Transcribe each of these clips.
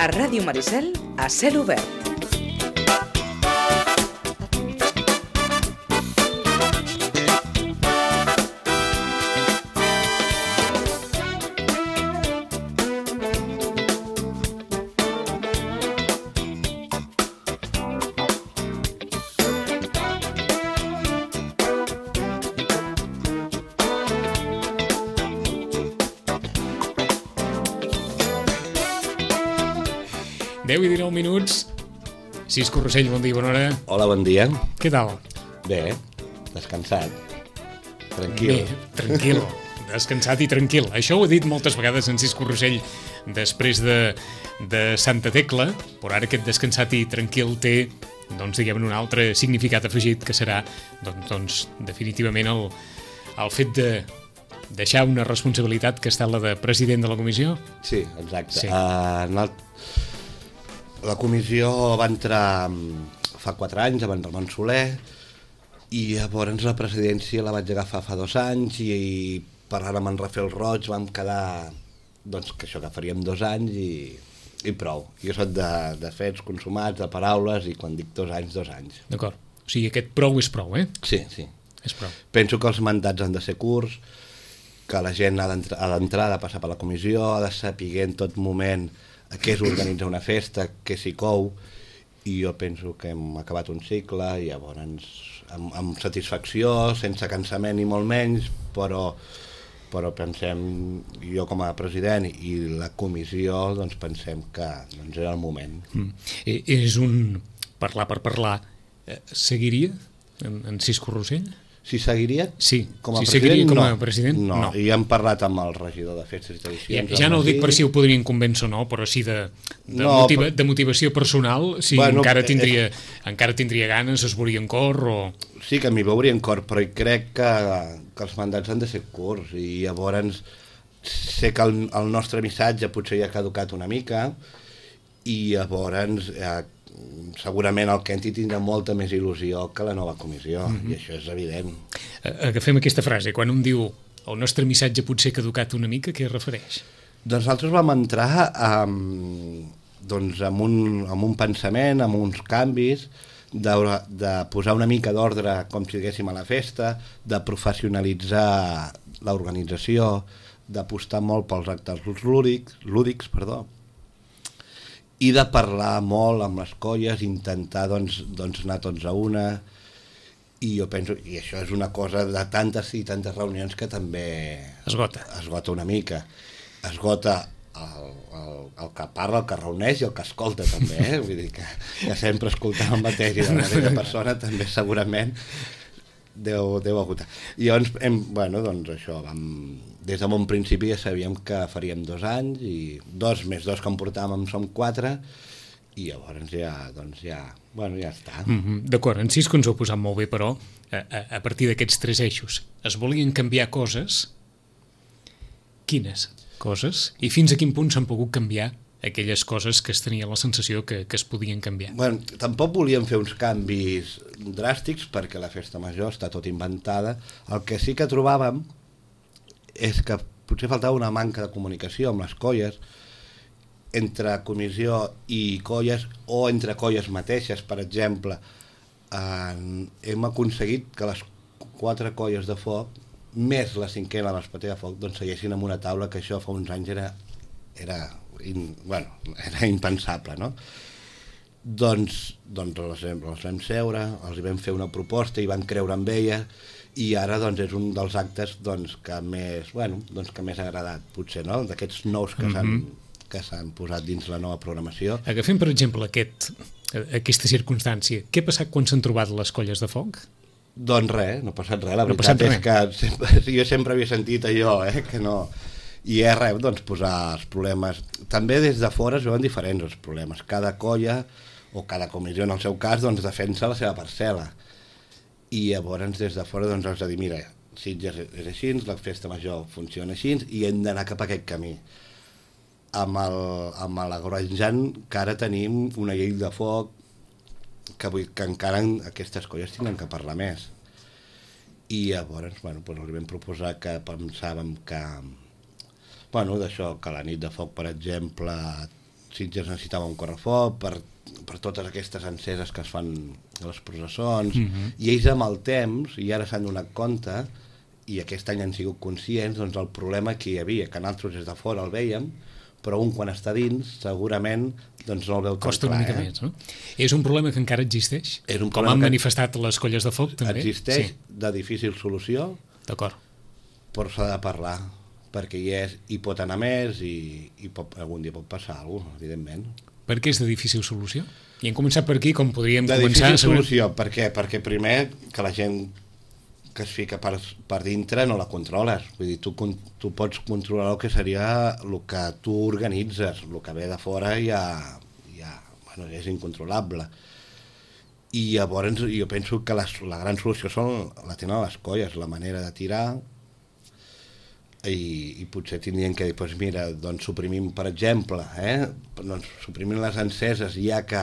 A Ràdio Maricel, a cel obert. I 19 minuts. Cis Corrossell, bon dia, bona hora. Hola, bon dia. Què tal? Bé, descansat. Tranquil. Bé, tranquil. Descansat i tranquil. Això ho he dit moltes vegades en Cis Corrossell després de Santa Tecla, però ara aquest descansat i tranquil té, doncs, diguem-ne, un altre significat afegit que serà, doncs definitivament el fet de deixar una responsabilitat que ha estat la de president de la comissió. Sí, exacte. Sí. La comissió va entrar fa 4 anys, amb en Ramon Soler, i llavors la presidència la vaig agafar fa 2 anys i parlant amb en Rafael Roig vam quedar doncs, que això que faríem 2 anys i prou. Jo soc de fets consumats, de paraules, i quan dic 2 anys, 2 anys. D'acord. O sigui, aquest prou és prou, eh? Sí, sí. És prou. Penso que els mandats han de ser curts, que la gent ha d'entrar, ha de passar per la comissió, ha de saber en tot moment què és organitzar una festa, què s'hi cou, i jo penso que hem acabat un cicle i llavors amb satisfacció, sense cansament ni molt menys, però pensem, jo com a president i la comissió, doncs pensem que doncs era el moment. És un parlar per parlar. Seguiria en Cis Corrossell? Si seguiria sí. Com a si president, seguiria com a no. president? No, i hem parlat amb el regidor de Festes i Tradicions. Ja no ho dic per si ho podrien convèncer o no, però sí de motivació personal, si encara tindria ganes, es veuria en cor o... Sí, que m'hi veuria en cor, però crec que els mandats han de ser curts i llavors sé que el nostre missatge potser ja ha caducat una mica i llavors segurament el Kenti tindrà molta més il·lusió que la nova comissió, i això és evident. Agafem aquesta frase, quan un diu el nostre missatge potser ha caducat una mica, què es refereix? Doncs nosaltres vam entrar amb un pensament, amb uns canvis, de posar una mica d'ordre, com si diguéssim, a la festa, de professionalitzar l'organització, d'apostar molt pels actes lúdics, i de parlar molt amb les colles, intentar doncs, anar tots a una, i jo penso, i això és una cosa de tantes i tantes reunions que també esgota una mica. Esgota el que parla, el que reuneix i el que escolta també, vull dir que sempre escoltar el mateix i de la mateixa persona també segurament deu agotar. I llavors, doncs això, des de bon principi ja sabíem que faríem 2 anys i 2 més 2 que em portàvem som 4 i llavors ja està. D'acord, en Cisco ens ho ha posat molt bé, però a partir d'aquests 3 eixos es volien canviar coses. Quines coses? I fins a quin punt s'han pogut canviar aquelles coses que es tenia la sensació que es podien canviar? Bueno, tampoc volíem fer uns canvis dràstics perquè la festa major està tot inventada. El que sí que trobàvem és que potser faltava una manca de comunicació amb les colles, entre comissió i colles, o entre colles mateixes. Per exemple, hem aconseguit que les 4 colles de foc, més la 5ª, l'Espatller de Foc, doncs segueixin en una taula, que això fa uns anys era impensable, no? Doncs les vam seure, els vam fer una proposta i van creure en ella, i ara doncs, és un dels actes que més ha agradat, potser, no? D'aquests nous que s'han posat dins la nova programació. Agafem, per exemple, aquesta circumstància. Què ha passat quan s'han trobat les colles de foc? Doncs res, no ha passat res. La veritat és que jo sempre havia sentit allò, que no... I és res, doncs, posar els problemes... També des de fora es veuen diferents els problemes. Cada colla, o cada comissió, en el seu cas, doncs, defensa la seva parcel·la. I llavors, des de fora, doncs, has de dir, mira, Sitges és així, la festa major funciona així, i hem d'anar cap a aquest camí. Amb l'Agorejant, que ara tenim una llei de foc, que encara aquestes colles tenen que parlar més. I llavors, els vam proposar que pensàvem que... d'això, que la nit de foc, per exemple, Sitges necessitava un correfoc per totes aquestes enceses que es fan a les processons, i ells amb el temps, i ara s'han donat compte, i aquest any han sigut conscients, doncs el problema que hi havia, que nosaltres des de fora el vèiem, però un quan està dins segurament doncs no el veu tan Costa clar. una mica més, no? És un problema que encara existeix? És un Com problema han que manifestat les colles de foc, també? Existeix, de difícil solució, D'acord. però s'ha de parlar, perquè hi pot anar més i algun dia pot passar alguna cosa, evidentment. Per què és de difícil solució? I hem començat per aquí, com podríem De començar... difícil solució, per què? Perquè primer que la gent que es fica per dintre no la controles. Vull dir, tu pots controlar el que seria el que tu organitzes, el que ve de fora bueno, és incontrolable. I llavors jo penso que la gran solució la tenen les colles, la manera de tirar, i potser tindrien que dir, doncs mira, doncs suprimim, per exemple, doncs suprimim les enceses, ja que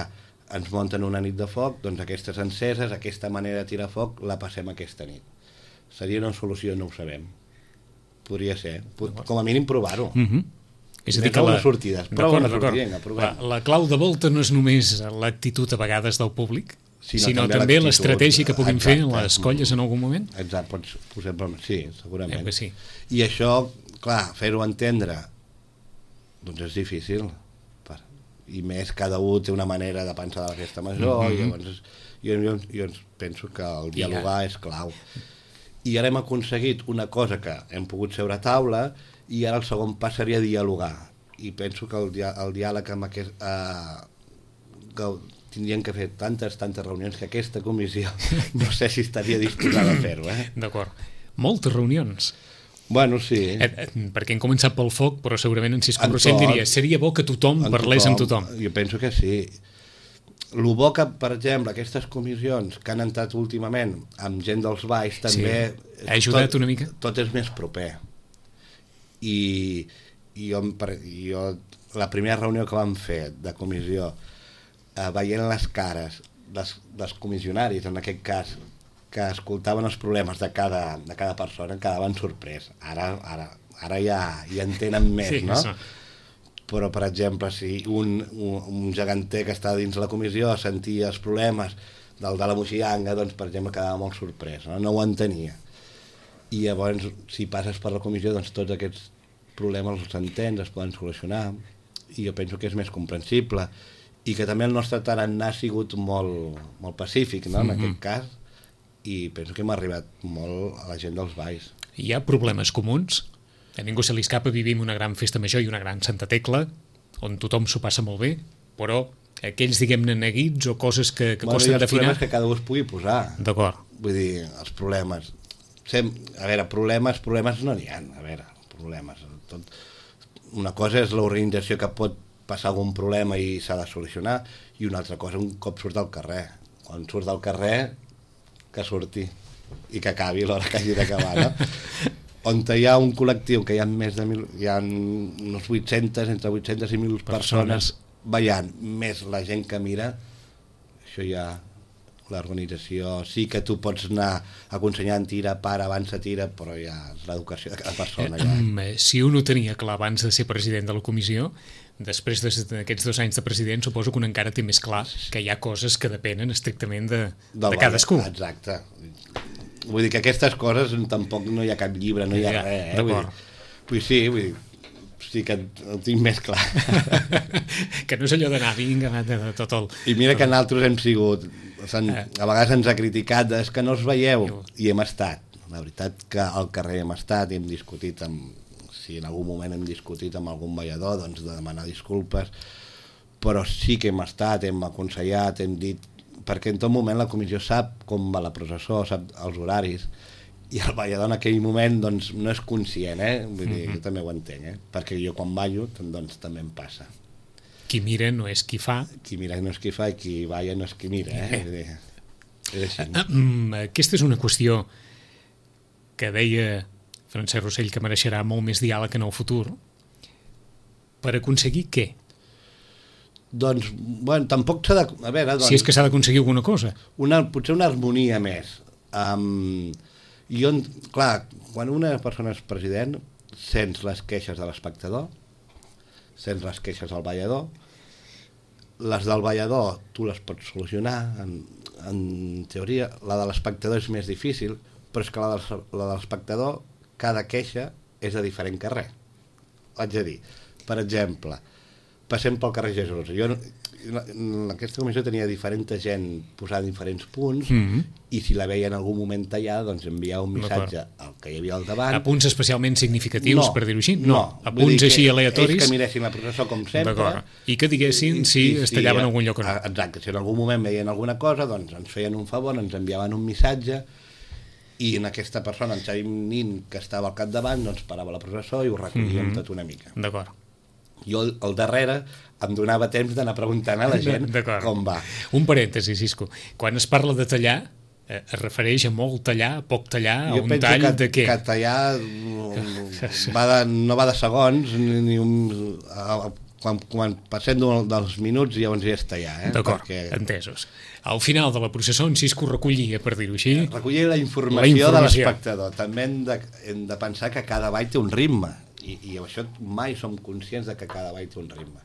ens munten una nit de foc, doncs aquestes enceses, aquesta manera de tirar foc, la passem aquesta nit. Seria una solució, no ho sabem. Podria ser. Com a mínim provar-ho. És a dir, que prova una sortida. La clau de volta no és només l'actitud a vegades del públic, sinó també l'estratègia que puguin fer les colles en algun moment? Exacte, sí, segurament. Sí. I això, clar, fer-ho entendre, doncs és difícil. I més, cada un té una manera de pensar de la festa major, i llavors jo penso que el dialogar és clau. I ara hem aconseguit una cosa que hem pogut seure a taula, i ara el segon pas seria dialogar. I penso que el diàleg amb que tindrien que fer tantes reunions que aquesta comissió no sé si estaria disposada a fer-ho. D'acord. Moltes reunions. Bueno, sí. Perquè hem començat pel foc, però segurament en Cisco Rossell diria seria bo que tothom parlés amb tothom. Jo penso que sí. El bo que, per exemple, aquestes comissions que han entrat últimament amb gent dels balls també... Ha ajudat una mica? Tot és més proper. I jo, la primera reunió que vam fer de comissió, veient les cares dels comissionaris, en aquest cas, que escoltaven els problemes de cada persona, quedaven sorprès. Ara ja entenen més, no? Això. Però, per exemple, si un geganter que està dins la comissió sentia els problemes del de la moixiganga, doncs, per exemple, quedava molt sorprès, no ho entenia. I llavors, si passes per la comissió, doncs tots aquests problemes els entens, es poden solucionar, i jo penso que és més comprensible, i que també el nostre tarannà ha sigut molt pacífic, no?, en aquest cas, i penso que hem arribat molt a la gent dels balls. Hi ha problemes comuns? A ningú se li escapa, vivim una gran festa major i una gran Santa Tecla, on tothom s'ho passa molt bé, però aquells, diguem-ne, neguits o coses que costen d'afinar... Els problemes que cada un es pugui posar. D'acord. Vull dir, els problemes... A veure, problemes no n'hi ha. A veure, problemes... Una cosa és l'organització que pot passar algun problema i s'ha de solucionar, i una altra cosa un cop surt al carrer. Quan surt al carrer, que surti i que acabi l'hora que hagi d'acabar, no? On hi ha un col·lectiu que hi ha més de 1.000, hi ha unes 800, entre 800 i 1.000 persones ballant, més la gent que mira, això ja, l'organització, sí que tu pots anar aconsellant tira, para, avança, tira, però ja és l'educació de cada persona. Si un ho tenia clar abans de ser president de la comissió, després d'aquests 2 anys de president, suposo que un encara té més clar que hi ha coses que depenen estrictament de cadascú. Exacte. Vull dir que aquestes coses tampoc no hi ha cap llibre, no hi ha res. Vull dir, sí que ho tinc més clar. Que no és allò d'anar, vinga, de tot el... I mira que nosaltres hem sigut... A vegades ens ha criticat, és que no us veieu, i hem estat. La veritat que al carrer hem estat i hem discutit si en algun moment hem discutit amb algun ballador, doncs de demanar disculpes, però sí que hem estat, hem aconsellat, hem dit, perquè en tot moment la comissió sap com va la processó, sap els horaris, i el ballador en aquell moment doncs, no és conscient, vull dir, jo també ho entenc, perquè jo quan ballo doncs, també em passa. Qui mira no és qui fa. Qui mira no és qui fa i qui balla no és qui mira, Vull dir, és així. Aquesta és una qüestió que deia Francesc Rossell que mereixerà molt més diàleg en el futur. Per aconseguir què? Doncs, bueno, tampoc s'ha de... A veure, doncs, si és que s'ha d'aconseguir alguna cosa. Potser una harmonia més. Clar, quan una persona és president, sents les queixes de l'espectador, sents les queixes del ballador, Les del ballador tu les pots solucionar, en teoria. La de l'espectador és més difícil, però és que la de l'espectador, cada queixa és de diferent carrer. Haig de dir, per exemple, passem pel carrer Jesús. Jo en aquesta comissió tenia diferent gent posada en diferents punts, i si la veia en algun moment tallada, doncs enviava un missatge al que hi havia al davant. A punts especialment significatius, per dir-ho així? No. A punts així aleatoris? Ells que miressin la processó com sempre. I que diguessin si es tallava en algun lloc o no. Exacte, si en algun moment veien alguna cosa, doncs ens feien un favor, ens enviaven un missatge, i en aquesta persona, en Xavi Nin, que estava al capdavant, doncs parava la processó i ho recollíem tot una mica. D'acord. Jo al darrere em donava temps d'anar preguntant a la gent com va. Un parèntesi, Cisco. Quan es parla de tallar, es refereix a molt tallar, poc tallar, a un tall de què? Jo penso que tallar no va de segons, ni quan passem dels minuts llavors ja és tallar. D'acord, entesos. Al final de la processó en Cisco recollia, per dir-ho així. Recollia la informació de l'espectador. També hem de pensar que cada ball té un ritme, i això mai som conscients de que cada ball té un ritme.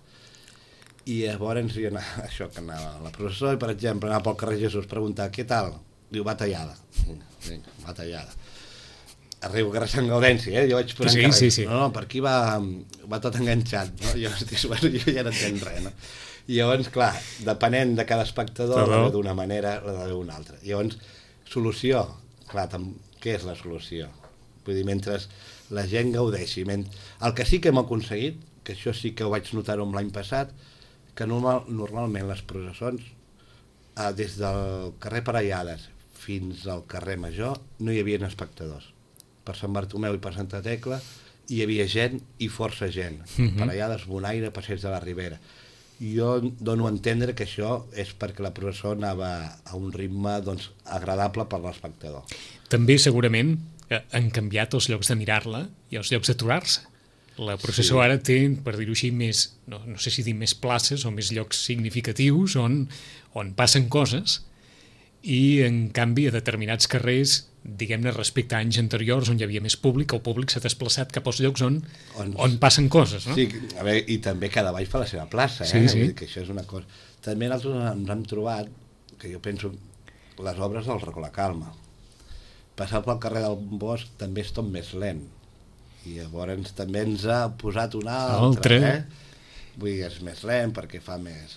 I llavors això que anava a la processó, i per exemple anava pel carrer Jesús, preguntar què tal? Diu, va tallada. Va tallada. Arribo al carrer Sant Gaudenci, jo vaig posant carrer. Sí. No, per aquí va tot enganxat, no? Jo ja no entenc res, no? I llavors, clar, depenent de cada espectador, la veu d'una manera, la veu d'una altra. Llavors, solució, clar, què és la solució? Vull dir, mentre la gent gaudeixi. El que sí que hem aconseguit, que això sí que ho vaig notar l'any passat, que normalment les processons, des del carrer Parellades fins al carrer Major, no hi havia espectadors. Per Sant Bartomeu i per Santa Tecla hi havia gent i força gent. Parellades, Bonaire, Passeig de la Ribera. Jo dono a entendre que això és perquè la processó anava a un ritme agradable per l'espectador. També segurament han canviat els llocs de mirar-la i els llocs d'aturar-se. La processó ara té, per dir-ho així, més, no sé si dir més places o més llocs significatius on passen coses, i en canvi a determinats carrers, diguem-ne respecte a anys anteriors on hi havia més públic, el públic s'ha desplaçat cap als llocs on passen coses, no? Sí, a veure, i també cada ball fa la seva plaça, Sí. Que això és una cosa. També nosaltres ens hem trobat, que jo penso, les obres del Racó la Calma. Passar pel carrer del Bosc també és tot més lent, i llavors també ens ha posat una altra. Vull dir, és més lent perquè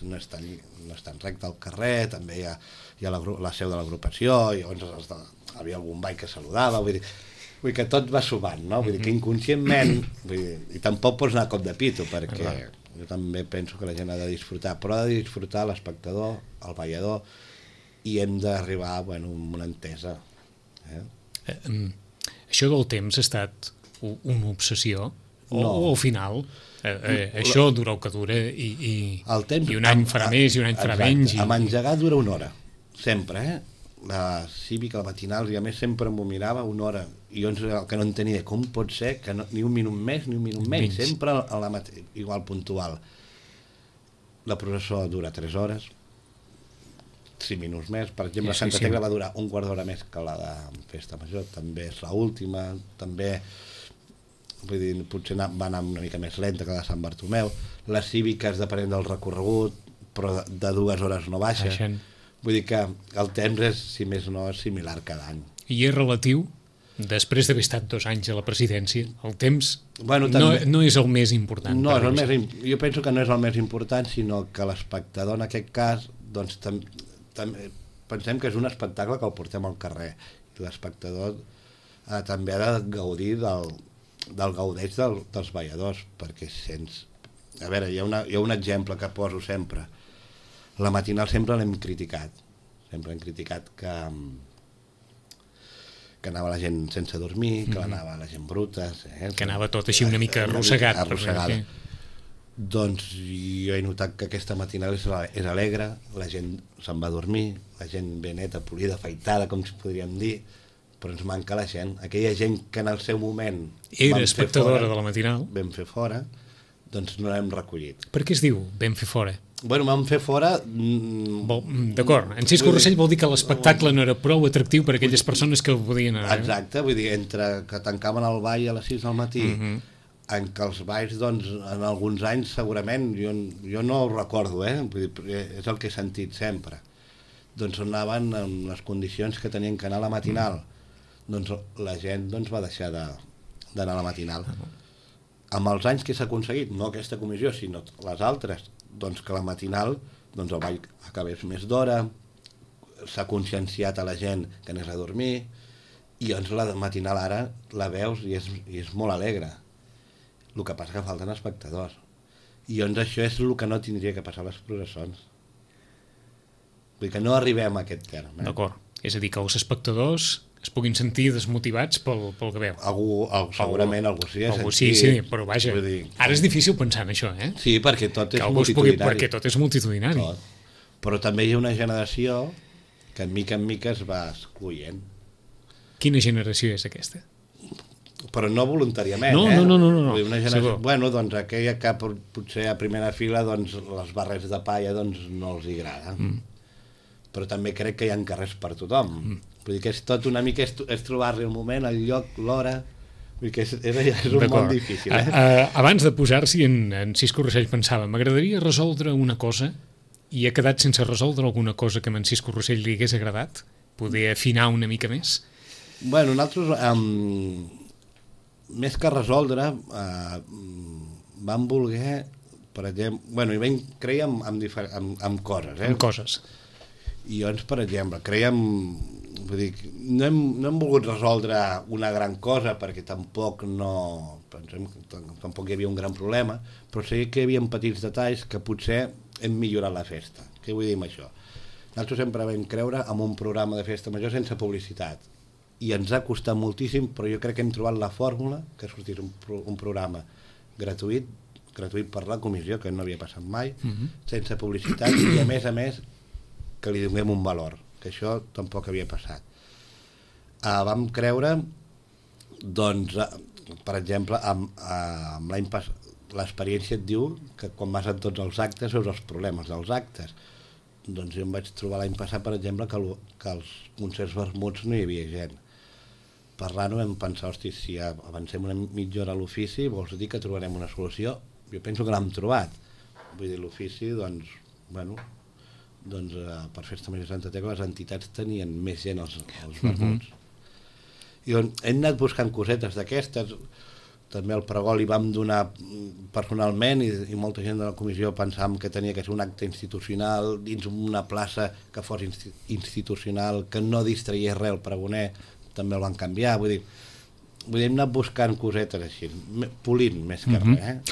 no és tan recte al carrer, també hi ha la seu de l'agrupació, i llavors havia algun ball que saludava, vull dir que tot va sumant, no? Vull dir que inconscientment, i tampoc pots anar a cop de pito, perquè jo també penso que la gent ha de disfrutar, però ha de disfrutar l'espectador, el ballador, i hem d'arribar a una entesa. Això del temps ha estat una obsessió? No. O al final això dura el que dura, i un any farà més i un any farà menys? Amb engegar dura una hora, sempre, la cívica, la matinal, i a més sempre m'ho mirava una hora, i jo el que no entenia, com pot ser que ni un minut més ni un minut menys, sempre igual puntual. La processó dura 3 hores, 5 minuts més. Per exemple, Santa Tecla va durar un quart d'hora més que la de Festa Major, també és l'última, també, vull dir, potser va anar una mica més lenta que la de Sant Bartomeu. Les cíviques, depenent del recorregut, però de 2 hores no baixa. Vull dir que el temps és, si més no, és similar cada any. I és relatiu? Després d'haver estat 2 anys a la presidència, el temps no és el més important. No, jo penso que no és el més important, sinó que l'espectador, en aquest cas, doncs pensem que és un espectacle que el portem al carrer, i l'espectador també ha de gaudir del gaudeix dels balladors, perquè a veure, hi ha un exemple que poso sempre. La matinal sempre l'hem criticat que anava la gent sense dormir, que anava la gent bruta, que anava tot així una mica arrossegada. Doncs jo he notat que aquesta matinal és alegre, la gent se'n va a dormir, la gent ben neta, polida, afaitada, com si podríem dir, però ens manca la gent, aquella gent que en el seu moment era espectadora de la matinal, vam fer fora, doncs no l'hem recollit. Per què es diu vam fer fora? Vam fer fora... D'acord, en Cisco Rossell vol dir que l'espectacle no era prou atractiu per a aquelles persones que podien anar. Exacte, vull dir, entre que tancaven el ball a les 6 del matí en què els balls, doncs, en alguns anys segurament, jo no ho recordo, vull dir, és el que he sentit sempre, doncs anaven en les condicions que tenien que anar a la matinal, doncs la gent doncs, va deixar d'anar a la matinal. Amb els anys que s'ha aconseguit, no aquesta comissió, sinó les altres, doncs que la matinal, doncs el ball acabés més d'hora, s'ha conscienciat a la gent que anés a dormir, i doncs la matinal ara la veus i és molt alegre. El que passa que falten espectadors. I doncs això és el que no tindria que passar a les processons. Vull dir que no arribem a aquest terme. D'acord. És a dir, que els espectadors es puguin sentir desmotivats pel que veu. Segurament algú sí. Sí, però vaja, ara és difícil pensar en això, eh? Sí, perquè tot és multitudinari. Perquè tot és multitudinari. Però també hi ha una generació que en mica es va excloent. Quina generació és aquesta? Però no voluntàriament, No. Una generació, bueno, doncs aquella que potser a primera fila doncs, les barres de palla doncs, no els agrada. Però també crec que hi ha carrers per tothom. Vull dir que és tot una mica, és trobar-li el moment, el lloc, l'hora. Vull dir que és un món difícil. Abans de posar-s'hi en Cisco Rossell pensava, m'agradaria resoldre una cosa i he quedat sense resoldre alguna cosa que a en Cisco Rossell li hagués agradat? Poder afinar una mica més? Bueno, nosaltres, més que resoldre, vam voler, per exemple, bueno, creiem en coses, En coses. I llavors, per exemple, creiem, vull dir, no hem volgut resoldre una gran cosa, perquè tampoc tampoc hi havia un gran problema, però sí que hi havia petits detalls que potser hem millorat la festa. Què vull dir amb això? Nosaltres sempre vam creure en un programa de festa major sense publicitat, i ens ha costat moltíssim, però jo crec que hem trobat la fórmula que sortís un programa gratuït per la comissió, que no havia passat mai, sense publicitat, i a més que li donem un valor, que això tampoc havia passat. Vam creure, doncs, per exemple, amb l'any passat, l'experiència et diu que quan vas a tots els actes veus els problemes dels actes. Doncs jo em vaig trobar l'any passat, per exemple, que als concerts vermuts no hi havia gent. Parlant-ho vam pensar, hosti, si avancem una mitja hora a l'ofici, vols dir que trobarem una solució? Jo penso que l'hem trobat. Vull dir, l'ofici, doncs, bueno, per Festa Major Santa Tecla les entitats tenien més gent als vermuts. I doncs hem anat buscant cosetes d'aquestes, també al pregó li vam donar personalment i molta gent de la comissió pensàvem que tenia que ser un acte institucional dins una plaça que fos institucional, que no distraiés res el pregoner, també el van canviar, vull dir, hem anat buscant cosetes així, polint més que res.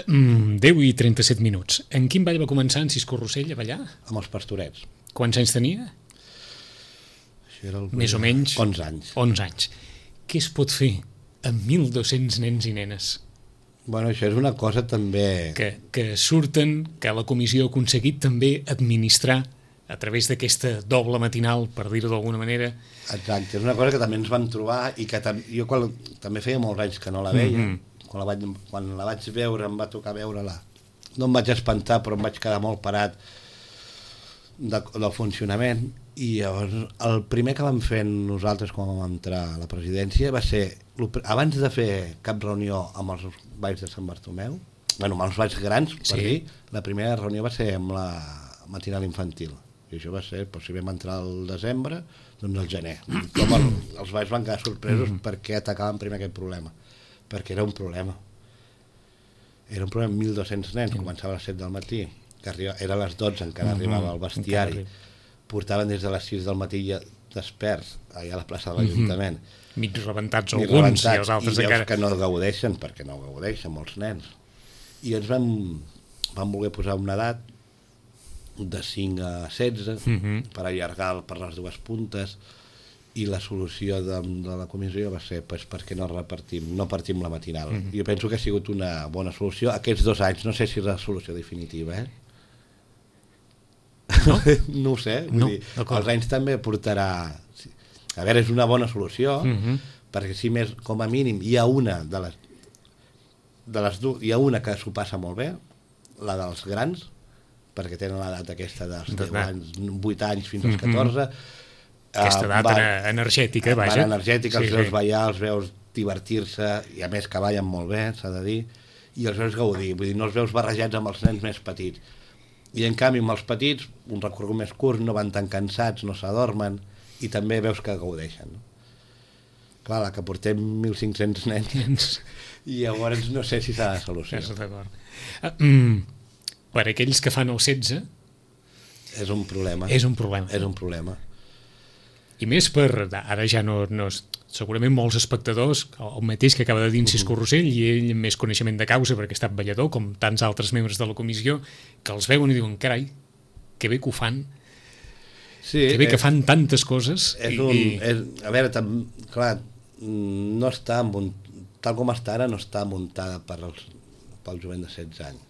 10 i 37 minuts. En quin ball va començar en Cisco Rossell a ballar? Amb els Pastorets. Quants anys tenia? Això era Més o menys? 11 anys. 11 anys. Què es pot fer amb 1.200 nens i nenes? Bueno, això és una cosa també... Que surten, que la comissió ha aconseguit també administrar a través d'aquesta doble matinal, per dir-ho d'alguna manera. Exacte, és una cosa que també ens vam trobar i que jo també feia molts anys que no la veia. Quan la vaig veure, em va tocar veure-la. No em vaig espantar, però em vaig quedar molt parat del funcionament. I llavors, el primer que vam fer nosaltres quan vam entrar a la presidència va ser, abans de fer cap reunió amb els balls de Sant Bartomeu, bueno, amb els balls grans, per dir, la primera reunió va ser amb la matinal infantil. I això va ser, si vam entrar al desembre, doncs al gener. Com els balls van quedar sorpresos perquè atacaven primer aquest problema. Perquè era un problema. Era un problema amb 1.200 nens, començava a les 7 del matí, que era a les 12, encara arribava al bestiari. Portaven des de les 6 del matí desperts, allà a la plaça de l'Ajuntament. Mig rebentats alguns, i els altres encara... I que no gaudeixen, perquè no gaudeixen molts nens. I ens vam voler posar una edat de 5 a 16 per allargar per les dues puntes, i la solució de la comissió va ser perquè no partim la matinal. Jo penso que ha sigut una bona solució aquests 2 anys, no sé si és la solució definitiva, no ho sé, els anys també portarà, a veure, és una bona solució, perquè si més, com a mínim hi ha una de les dues, hi ha una que s'ho passa molt bé, la dels grans, perquè tenen l'edat aquesta dels 10 anys, 8 anys fins als 14, Aquesta edat energètica, vaja. Energètica, els veus ballar, els veus divertir-se, i a més que ballen molt bé, s'ha de dir, i els veus gaudir, vull dir, no els veus barrejats amb els nens més petits. I en canvi amb els petits, un recorregut més curt, no van tan cansats, no s'adormen, i també veus que gaudeixen. Clar, la que portem 1.500 nens, i llavors no sé si s'ha de solucionar. Per aquells que fan el 16... És un problema. És un problema. És un problema. I més per... Ara ja no segurament molts espectadors, el mateix que acaba de dir Encís Corrossell, i ell amb més coneixement de causa, perquè ha estat ballador, com tants altres membres de la comissió, que els veuen i diuen, carai, que bé que ho fan, que bé que fan tantes coses. A veure, clar, no està tal com està ara, no està muntada pel jovent de 16 anys.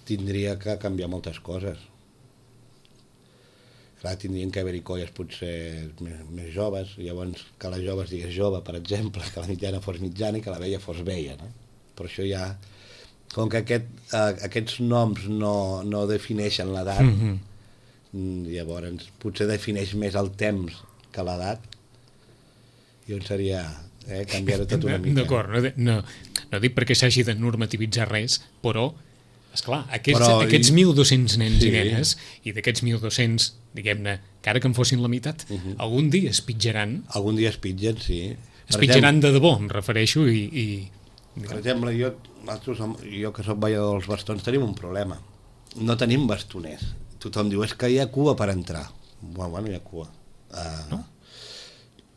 Tindria que canviar moltes coses. Clar, tindrien que haver-hi colles potser més joves, llavors que la jove es digués jove, per exemple, que la mitjana fos mitjana i que la vella fos vella, no? Però això ja... Com que aquests noms no defineixen l'edat, llavors potser defineix més el temps que l'edat, i on seria canviar-ho tot una mica. D'acord, no dic perquè s'hagi de normativitzar res, però esclar, aquests 1.200 nens i nenes, i d'aquests 1.200, diguem-ne, que ara que en fossin la meitat, algun dia es pitjaran. Algun dia es pitgen, sí. Es pitjaran de debò, em refereixo, Per exemple, jo que soc ballador dels bastons, tenim un problema. No tenim bastoners. Tothom diu, és que hi ha cua per entrar. Bueno, hi ha cua. No?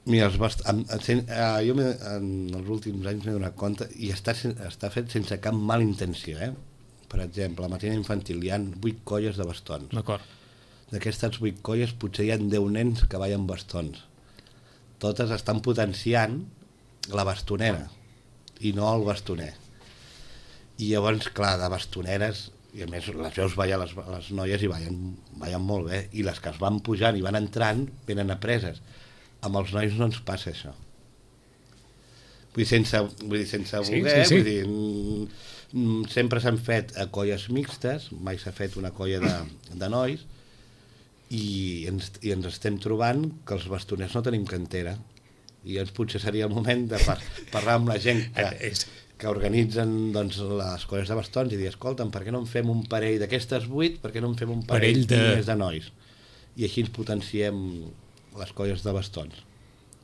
Mira, jo en els últims anys m'he donat compte, i està fet sense cap mala intenció, Per exemple, a la matina infantil hi ha 8 colles de bastons. D'acord. D'aquestes 8 colles potser hi ha 10 nens que ballen bastons. Totes estan potenciant la bastonera i no el bastoner. I llavors, clar, de bastoneres, i a més les veus ballar les noies i ballen molt bé, i les que es van pujant i van entrant venen apreses. Amb els nois no ens passa això. Vull dir, sense voler, sí. Vull dir, sempre s'han fet colles mixtes, mai s'ha fet una colla de nois, i ens estem trobant que els bastoners no tenim cantera, i llavors potser seria el moment de parlar amb la gent que organitzen doncs, les colles de bastons i dir, escolta'm, per què no en fem un parell d'aquestes 8, per què no en fem un parell més de nois? I així ens potenciem les colles de bastons.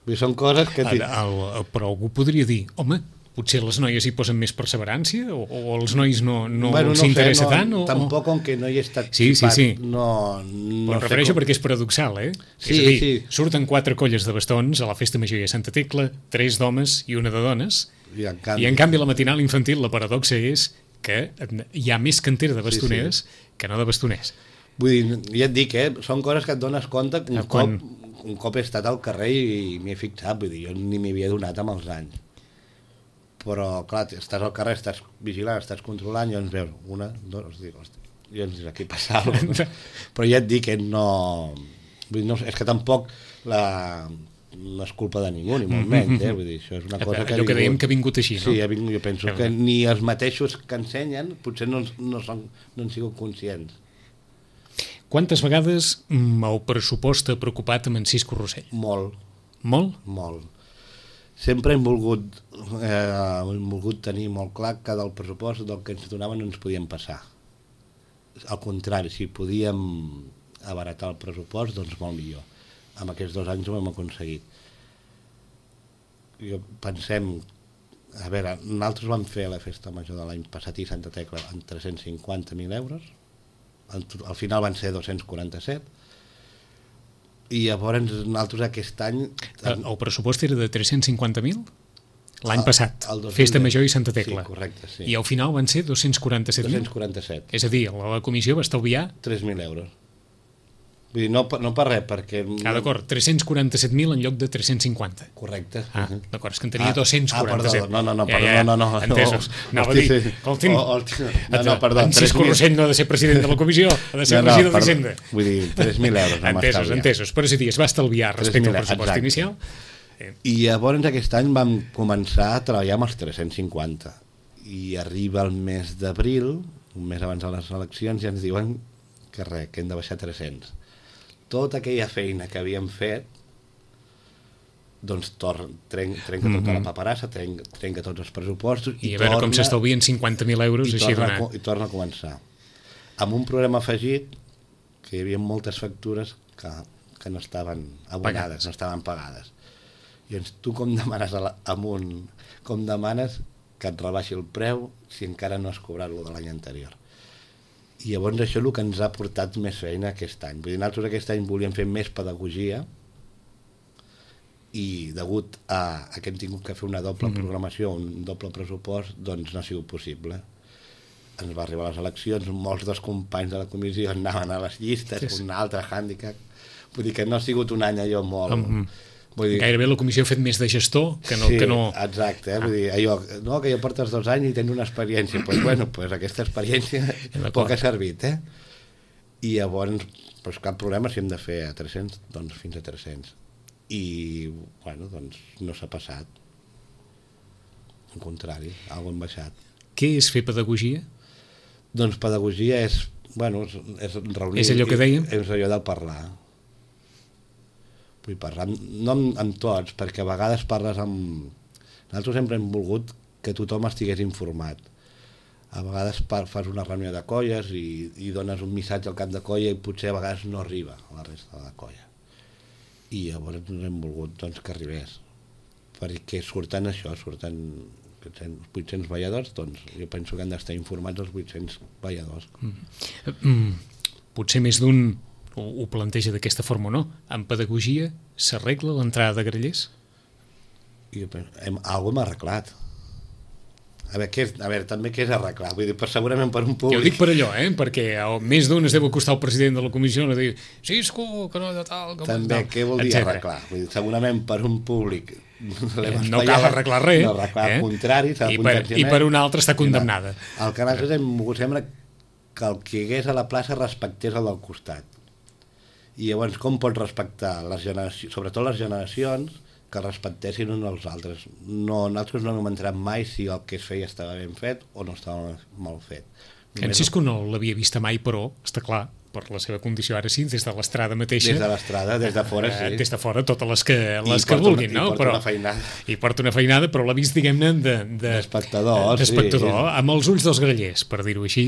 Vull dir, són coses que... Però algú podria dir, home, potser les noies hi posen més perseverància o els nois no s'interessa tant? Tampoc, com que no hi he estat xipat, no però em refereixo perquè és paradoxal, Sí, és a dir, surten 4 colles de bastons a la festa major de Santa Tecla, 3 d'homes i 1 de dones, i en canvi a la matinal infantil la paradoxa és que hi ha més cantera de bastoners que no de bastoners. Vull dir, ja et dic, són coses que et dones compte un cop he estat al carrer i m'hi he fixat, vull dir, jo ni m'hi havia donat amb els anys. Però, clar, estàs al carrer, estàs vigilant, estàs controlant, i ens veus 1, 2, i ens dius, aquí passa alguna cosa. Però ja et dic que no... Vull dir, és que tampoc no és culpa de ningú, ni molt menys, vull dir, això és una cosa que... Allò que dèiem que ha vingut així, no? Sí, jo penso que ni els mateixos que ensenyen potser no han sigut conscients. Quantes vegades el pressupost ha preocupat amb Encís Corrossell? Molt. Molt? Molt. Sempre hem volgut tenir molt clar que del pressupost del que ens donaven no ens podíem passar. Al contrari, si podíem abaratar el pressupost, doncs molt millor. Amb aquests 2 anys ho hem aconseguit. Pensem, a veure, nosaltres vam fer la festa major de l'any passat i Santa Tecla amb 350.000 euros, al final van ser 247, i llavors nosaltres aquest any... El pressupost era de 350.000? L'any passat, Festa Major i Santa Tecla. Sí, correcte, sí. I al final van ser 247.000? 247. És a dir, la comissió va estalviar... 3.000 euros. Vull dir, no per res, perquè... D'acord, 347.000 en lloc de 350. Correcte. D'acord, és que en tenia 247. Perdó. Entesos. Anava a dir, escolti'm, Encís Corrossell no ha de ser president de la comissió, ha de ser regidor d'Hisenda. Vull dir, 3.000 euros. Entesos. Però és a dir, es va estalviar respecte al pressupost inicial. I llavors aquest any vam començar a treballar amb els 350. I arriba el mes d'abril, un mes abans de les eleccions, i ens diuen que res, que hem de baixar 300. tota aquella feina que havíem fet doncs trenca tota la paperassa, trenca tots els pressupostos I a veure com s'estalvien 50.000 euros així donat. I torna a començar. Amb un problema afegit que hi havia moltes factures que no estaven abonades, no estaven pagades. I llavors tu com demanes com demanes que et rebaixi el preu si encara no has cobrat lo de l'any anterior. I llavors això és el que ens ha portat més feina aquest any. Vull dir, nosaltres aquest any volíem fer més pedagogia i degut a que hem tingut que fer una doble programació, un doble pressupost, doncs no ha sigut possible. Ens va arribar a les eleccions, molts dels companys de la comissió anaven a les llistes, un altre hàndicap. Vull dir que no ha sigut un any allò molt... Gairebé la comissió ha fet més de gestor que no... Sí, exacte, vull dir, allò, no, que ja portes 2 anys i tens una experiència, doncs bueno, aquesta experiència poc ha servit, I llavors, doncs cap problema, si hem de fer a 300, doncs fins a 300. I, bueno, doncs no s'ha passat. Al contrari, alguna hem baixat. Què és fer pedagogia? Doncs pedagogia és, bueno, és reunir... És allò que dèiem? És allò del parlar. Vull parlar, no amb tots, perquè a vegades parles amb... Nosaltres sempre hem volgut que tothom estigués informat. A vegades fas una reunió de colles i dones un missatge al cap de colla i potser a vegades no arriba a la resta de la colla. I llavors hem volgut doncs, que arribés. Perquè surten 800 balladors, doncs jo penso que han d'estar informats els 800 balladors. Potser més d'un ho planteja d'aquesta forma o no. En pedagogia s'arregla l'entrada de grallers? Algú hem arreglat. A veure, també què és arreglar? Vull dir, segurament per un públic... Jo dic per allò, perquè més d'un es deu acostar al president de la comissió i dir Cisco, que no de tal... També, què vol dir arreglar? Vull dir, segurament per un públic... No cal arreglar res. No arreglar, al contrari, s'ha de potenciar. I per una altra està condemnada. El que nosaltres hem volgut sembla que el que hi hagués a la plaça respectés el del costat. I llavors com pots respectar les generacions, sobretot les generacions, que respectessin uns als altres. Nosaltres no hem entrat mai si el que es feia estava ben fet o no estava mal fet. En Cisco no l'havia vista mai, però, està clar, per la seva condició ara sí, des de l'estrada mateixa. Des de l'estrada, des de fora, sí. Des de fora, totes les que vulguin, no? I porta una feinada. I porta una feinada, però l'ha vist, diguem-ne, d'espectador, d'espectador, amb els ulls dels grallers, per dir-ho així,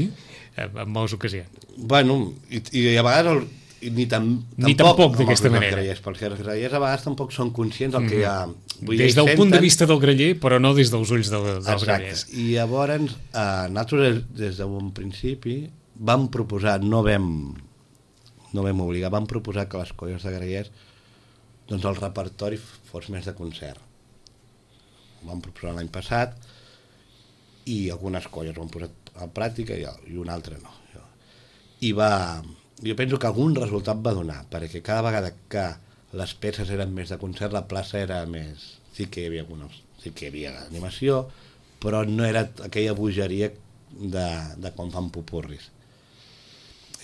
en moltes ocasions. Bueno, i a vegades... Ni tampoc d'aquesta manera. Perquè els grallers a vegades tampoc són conscients del que hi ha... Des del punt de vista del graller, però no des dels ulls dels grallers. I llavors, nosaltres des d'un principi vam proposar, no vam obligar, vam proposar que les colles de grallers doncs el repertori fos més de concert. Ho vam proposar l'any passat i algunes colles ho han posat a pràctica i una altra no. Jo penso que algun resultat va donar, perquè cada vegada que les peces eren més de concert, la plaça era més... Sí que hi havia animació, però no era aquella bogeria de quan fan pupurris.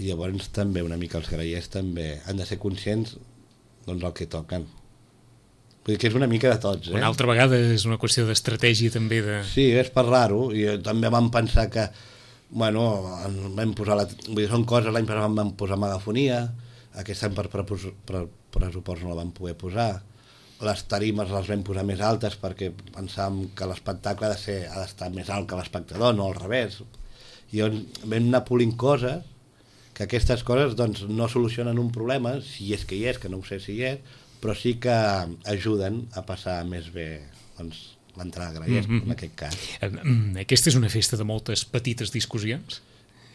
I llavors també una mica els grallers també han de ser conscients doncs del que toquen. Vull dir que és una mica de tots, Una altra vegada és una qüestió d'estratègia també de... Sí, és parlar-ho, i també vam pensar que bueno, vam posar vull dir, són coses, l'any passat vam posar megafonia, aquest any per pressupost no la vam poder posar, les tarimes les vam posar més altes perquè pensàvem que l'espectacle ha d'estar més alt que l'espectador, no al revés. I vam anar polint coses, que aquestes coses doncs, no solucionen un problema, si és que hi és, que no ho sé si hi és, però sí que ajuden a passar més bé doncs, l'entrada de grallers, en aquest cas. Aquesta és una festa de moltes petites discussions?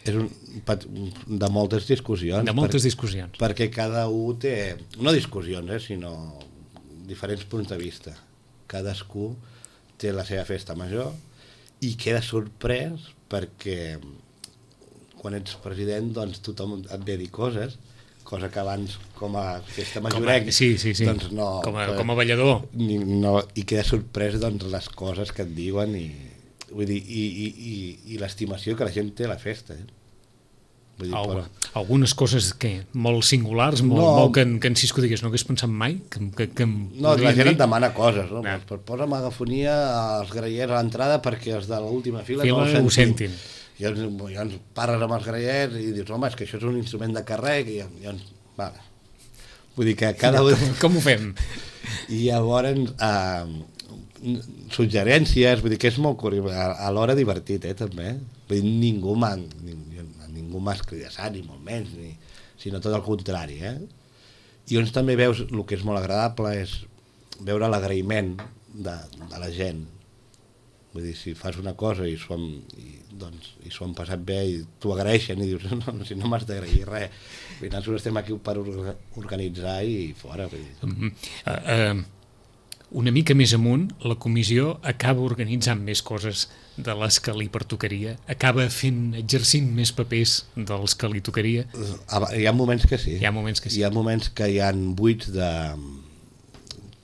És de moltes discussions. De moltes discussions. Perquè cada un té, no discussions, sinó diferents punts de vista. Cadascú té la seva festa major i queda sorprès perquè quan ets president doncs tothom et ve a dir coses que abans com a festa majorenc doncs no, com a ballador no, i queda sorprès doncs les coses que et diuen vull dir, i l'estimació que la gent té a la festa vull dir, algunes coses molt singulars molt que en Cisco digués no hagués pensat mai no, la gent et demana coses no? Posa megafonia als grallers a l'entrada perquè els de l'última fila no ho sentin. I llavors parles amb els grallers i dius, home, és que això és un instrument de carrec i llavors, vale. Vull dir que cada un... Com ho fem? I llavors, suggerències, vull dir que és molt curiós, alhora divertit, també. Vull dir, ningú m'ha escridassat, ni molt menys, sinó tot el contrari, I on també veus, el que és molt agradable és veure l'agraïment de la gent. Vull dir, si fas una cosa i s'ho han passat bé i t'ho agraeixen i dius, no, si no m'has d'agrair res. Vull dir, nosaltres estem aquí per organitzar i fora. Vull dir. Una mica més amunt, la comissió acaba organitzant més coses de les que li pertocaria, acaba exercint més papers dels que li tocaria. Hi ha moments que sí. Hi ha moments que sí. Hi ha moments que hi ha buits de...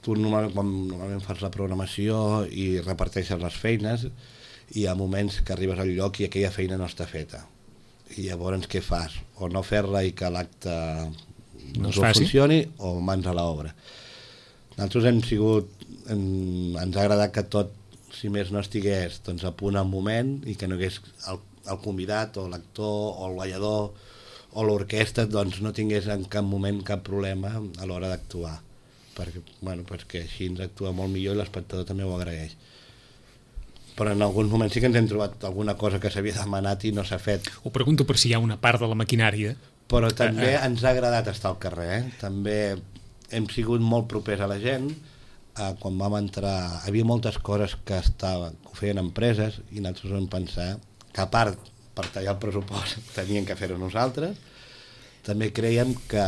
Tu normalment fas la programació i reparteixes les feines, i hi ha moments que arribes al lloc i aquella feina no està feta. I llavors què fas? O no fer-la i que l'acte no funcioni, o mans a l'obra. Nosaltres ens ha agradat que tot, si més no estigués a punt al moment, i que no hagués el convidat o l'actor o el ballador o l'orquestra no tingués en cap moment cap problema a l'hora d'actuar. Perquè així ens actua molt millor i l'espectador també ho agraeix. Però en alguns moments sí que ens hem trobat alguna cosa que s'havia demanat i no s'ha fet. Ho pregunto per si hi ha una part de la maquinària. Però també ens ha agradat estar al carrer. També hem sigut molt propers a la gent. Quan vam entrar, havia moltes coses que ho feien empreses i nosaltres vam pensar que a part, per tallar el pressupost, tenien que fer-ho nosaltres. També creiem que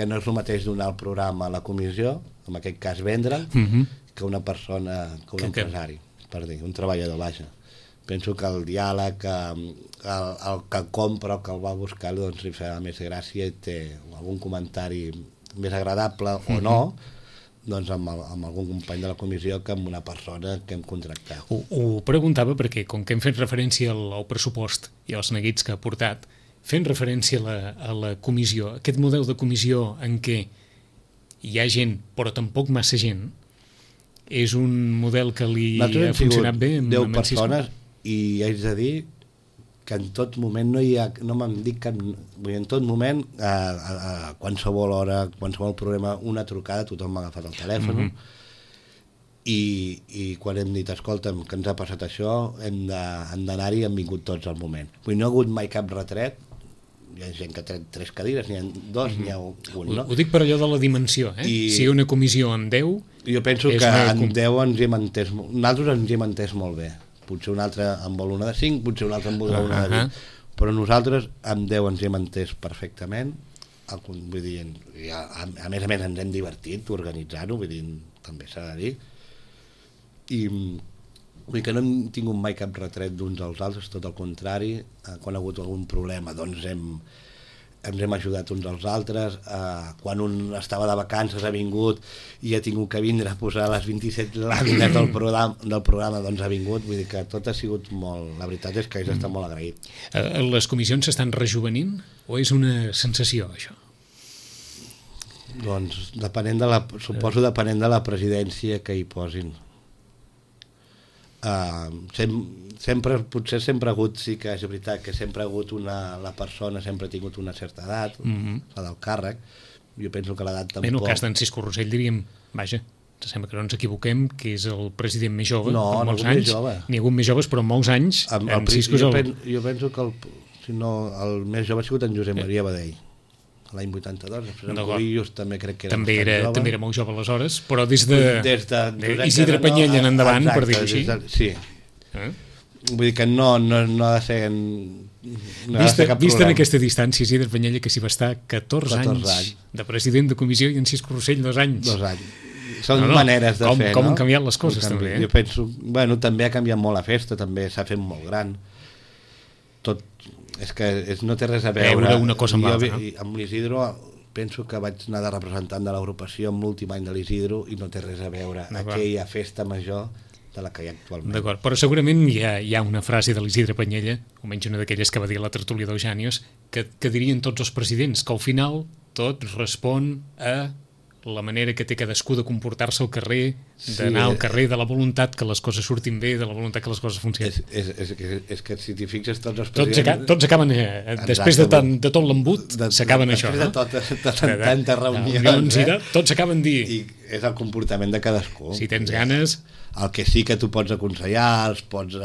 no és el mateix donar el programa a la comissió, en aquest cas vendre, que una persona, que un empresari, per dir, un treballador, vaja. Penso que el diàleg, el que compra, el que el va buscar, li fa més gràcia i té algun comentari més agradable o no, amb algun company de la comissió que amb una persona que hem contractat. Ho preguntava perquè, com que hem fet referència al pressupost i als neguits que ha portat, fent referència a la comissió, aquest model de comissió en què hi ha gent però tampoc massa gent, és un model que li ha funcionat bé? Nosaltres hem sigut 10 persones i haig de dir que en tot moment no m'han dit cap... En tot moment, a qualsevol hora, qualsevol problema, una trucada, tothom m'ha agafat el telèfon, i quan hem dit, escolta'm, que ens ha passat això, hem d'anar-hi, hem vingut tots al moment. Vull dir, no ha hagut mai cap retret. Hi ha gent que té 3 cadires, n'hi ha 2, n'hi ha 1, no? Ho dic per allò de la dimensió, Si una comissió amb 10... Jo penso que amb 10 ens hi hem entès... Nosaltres ens hi hem entès molt bé. Potser un altre en vol una de 5, potser un altre en vol una de 20. Però nosaltres amb 10 ens hi hem entès perfectament. Vull dir, a més ens hem divertit organitzant-ho, vull dir, també s'ha de dir. I vull dir que no hem tingut mai cap retret d'uns als altres, tot el contrari. Quan ha hagut algun problema ens hem ajudat uns als altres. Quan un estava de vacances ha vingut i ha tingut que vindre a posar les 27 làmines del programa, doncs ha vingut. Vull dir que tot ha sigut molt... La veritat és que està molt agraït. Les comissions s'estan rejuvenint o és una sensació, això? Doncs suposo depenent de la presidència que hi posin. Potser sempre ha hagut, sí que és veritat que sempre ha hagut la persona sempre ha tingut una certa edat, la del càrrec. Jo penso que l'edat tampoc... En el cas d'en Cisco Rossell diríem, vaja, sembla que no ens equivoquem, que és el president més jove, amb molts anys. N'hi ha hagut més joves, però amb molts anys. Jo penso que el més jove ha sigut en Josep Maria Badell, l'any 82, en Covillos també crec que era també era molt jove aleshores, però des de Isidre Penyella en endavant, per dir-ho així. Sí. Vull dir que no ha de ser... Vist en aquesta distància, Isidre Penyella, que s'hi va estar 14 anys de president de comissió i en Cisco Rossell 2 anys. 2 anys. Són maneres de fer, no? Com han canviat les coses, també. Jo penso... També ha canviat molt la festa, també s'ha fet molt gran. Tot... És que no té res a veure una cosa amb l'altra, no? Amb l'Isidro penso que vaig anar de representant de l'agrupació amb l'últim any de l'Isidro i no té res a veure aquella festa major de la que hi ha actualment. D'acord, però segurament hi ha una frase de l'Isidre Penyella, almenys una d'aquelles que va dir a la tertúlia d'Eugènios, que dirien tots els presidents, que al final tot respon a la manera que té cadascú de comportar-se al carrer, d'anar al carrer, de la voluntat que les coses surtin bé, de la voluntat que les coses funcionin. És que si t'hi fixes tots els presidents... Tots acaben, després de tot l'embut, s'acaben això, no? Després de tantes reunions, tots s'acaben dient. I és el comportament de cadascú. Si tens ganes... El que sí que tu pots aconsellar, els pots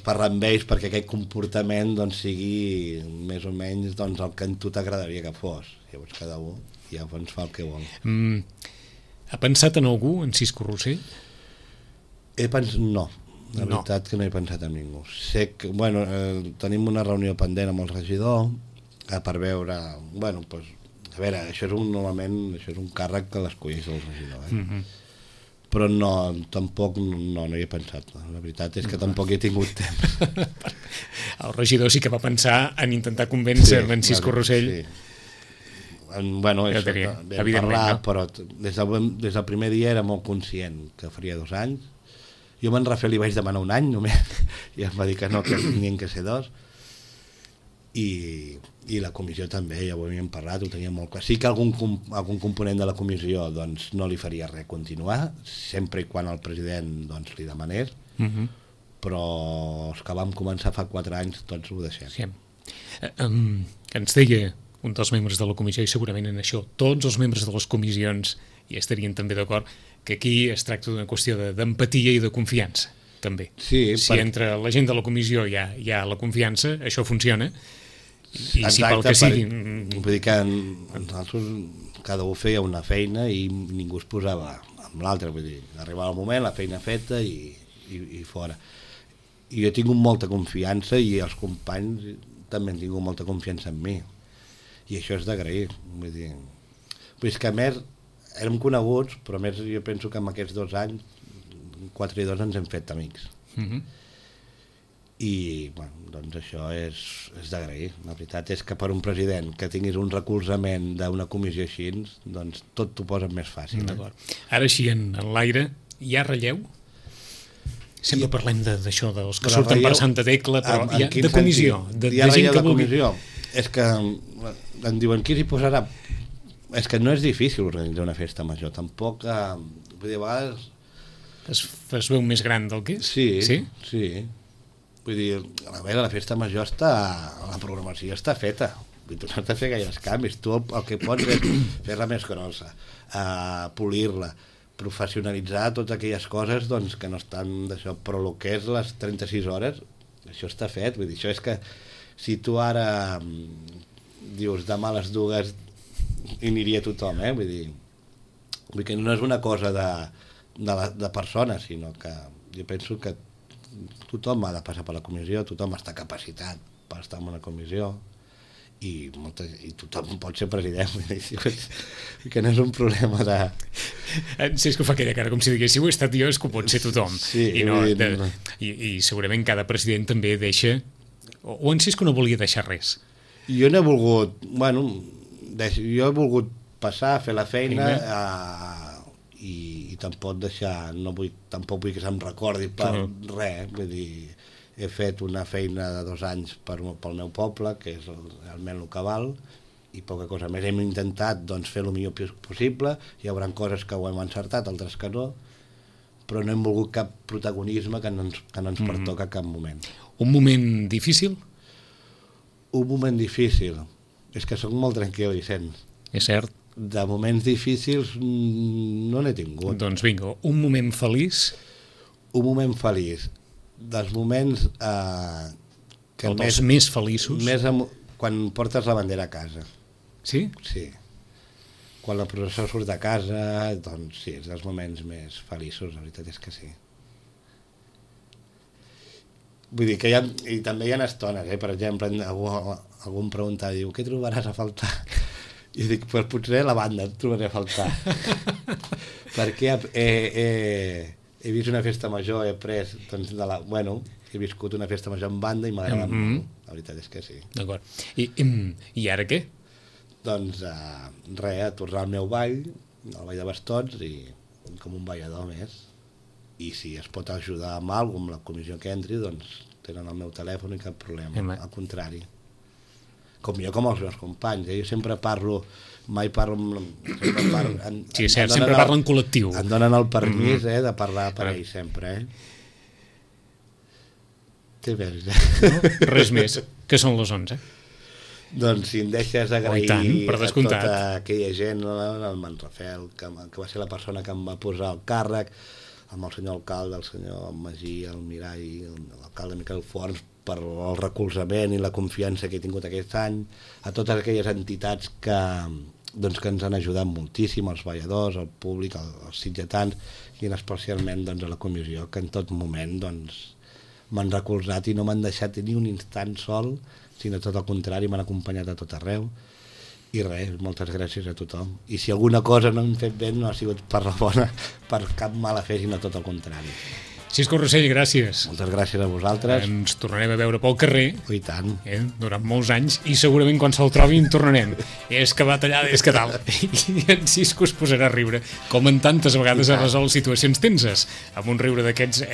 parlar amb ells perquè aquest comportament sigui més o menys el que a tu t'agradaria que fos. Llavors cada un ja fa el que vol. Ha pensat en algú, en Cisco Rossell? No, la veritat que no he pensat en ningú. Sé que, tenim una reunió pendent amb el regidor per veure, a veure, això és un càrrec que l'escolleix el regidor, però no, tampoc no hi he pensat. La veritat és que tampoc he tingut temps. El regidor sí que va pensar en intentar convèncer en Cisco Rossell. Sí. Evidentment, parlar, no? Però des del primer dia era molt conscient que faria 2 anys. Jo a en Rafael li vaig demanar 1 any només, i em va dir que no, que tenien que ser 2, i la comissió també, ja ho havíem parlat, ho tenia molt clar. Sí que algun component de la comissió no li faria res continuar, sempre i quan el president li demanés, però els que vam començar fa 4 anys tots ho deixem. Sí. Ens deia un dels membres de la comissió, i segurament en això tots els membres de les comissions hi estarien també d'acord, que aquí es tracta d'una qüestió d'empatia i de confiança, també. Sí, si entre la gent de la comissió hi ha la confiança, això funciona, i exacte, si pel que sigui... Vull dir que nosaltres cada un feia una feina i ningú es posava amb l'altre, vull dir, arribava el moment, la feina feta i fora. I jo he tingut molta confiança i els companys també han tingut molta confiança en mi. I això és d'agrair, vull dir que a més érem coneguts, però a més jo penso que en aquests 2 anys 4 i 2 ens hem fet amics. I doncs això és d'agrair. La veritat és que per un president que tinguis un recolzament d'una comissió així, doncs tot t'ho posa més fàcil. Ara així en l'aire hi ha relleu? Sempre parlem d'això, dels que surten per Santa Tecla, però de comissió, de gent que vulgui... És que em diuen qui s'hi posarà. És que no és difícil organitzar una festa major, tampoc, vull dir, a vegades... Es veu més gran del que és? Sí. Vull dir, a veure, la festa major la programació està feta, vull dir, tu no has de fer gaires canvis, tu el que pots és fer-la més grossa, polir-la, professionalitzar totes aquelles coses que no estan d'això, però el que és les 36 hores, això està fet, vull dir, això és que si tu ara dius demà a les 2 hi aniria tothom, vull dir que no és una cosa de persones, sinó que jo penso que tothom ha de passar per la comissió, tothom està capacitat per estar en una comissió i tothom pot ser president, vull dir que no és un problema de... Sí, és que ho fa aquella cara com si digués, si ho he estat jo és que ho pot ser tothom. Sí, i segurament cada president també deixa... O en Cisco no volia deixar res? Jo no he volgut... jo he volgut passar, fer la feina i tampoc deixar... Tampoc vull que se'm recordi per res, vull dir... He fet una feina de 2 anys pel meu poble, que és realment el que val, i poca cosa més. Hem intentat fer el millor possible, hi haurà coses que ho hem encertat, altres que no, però no hem volgut cap protagonisme que no ens pertoca a cap moment. Un moment difícil? Un moment difícil. És que soc molt tranquil, Vicenç. És cert. De moments difícils no n'he tingut. Doncs vinga, un moment feliç? Un moment feliç. Dels moments que o dels més feliços? Quan portes la bandera a casa. Sí? Sí. Quan la processó surt de casa, doncs sí, és dels moments més feliços, la veritat és que sí. Vull dir que i també hi ha estones, per exemple, algú em pregunta, diu, què trobaràs a faltar? I dic, pues potser la banda et trobaré a faltar. Perquè he vist una festa major, he après, doncs, he viscut una festa major en banda i m'agrada molt, la veritat és que sí. D'acord. I ara què? Doncs res, a tornar al meu ball, al ball de bastons, i com un ballador més. I si es pot ajudar amb alguna cosa, amb la comissió que entri, doncs tenen el meu telèfon i cap problema, al contrari. com jo com els meus companys. Jo sempre parlo, mai parlo... Sí, és cert, sempre parlo en col·lectiu. Em donen el permís de parlar per ells sempre, Què veus? Res més, que són les 11. Doncs si em deixes agrair per a descomptat. tota aquella gent, el Manrafel, que va ser la persona que em va posar el càrrec, amb el senyor alcalde, el senyor Magí, el Mirall, l'alcalde Miquel Forns, per el recolzament i la confiança que he tingut aquest any, a totes aquelles entitats que ens han ajudat moltíssim, els balladors, el públic, els sitgetans, i especialment a la comissió, que en tot moment m'han recolzat i no m'han deixat ni un instant sol, sinó tot el contrari, m'han acompanyat a tot arreu. I res, moltes gràcies a tothom. I si alguna cosa no hem fet bé, no ha sigut per la bona, per cap mala fe, sinó tot el contrari. Cisco Rossell, gràcies. Moltes gràcies a vosaltres. Ens tornarem a veure pel carrer. I tant. Durant molts anys, i segurament quan se'l trobi en tornarem. És que va tallar, és que tal. I en Cisco es posarà a riure, com en tantes vegades ha resolt situacions tenses, amb un riure d'aquests,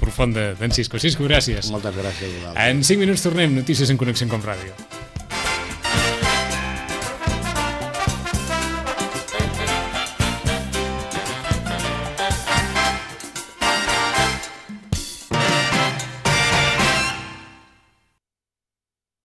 profund d'en Cisco. Cisco, gràcies. Moltes gràcies a vosaltres. En 5 minuts tornem, notícies en Connexió Com Ràdio.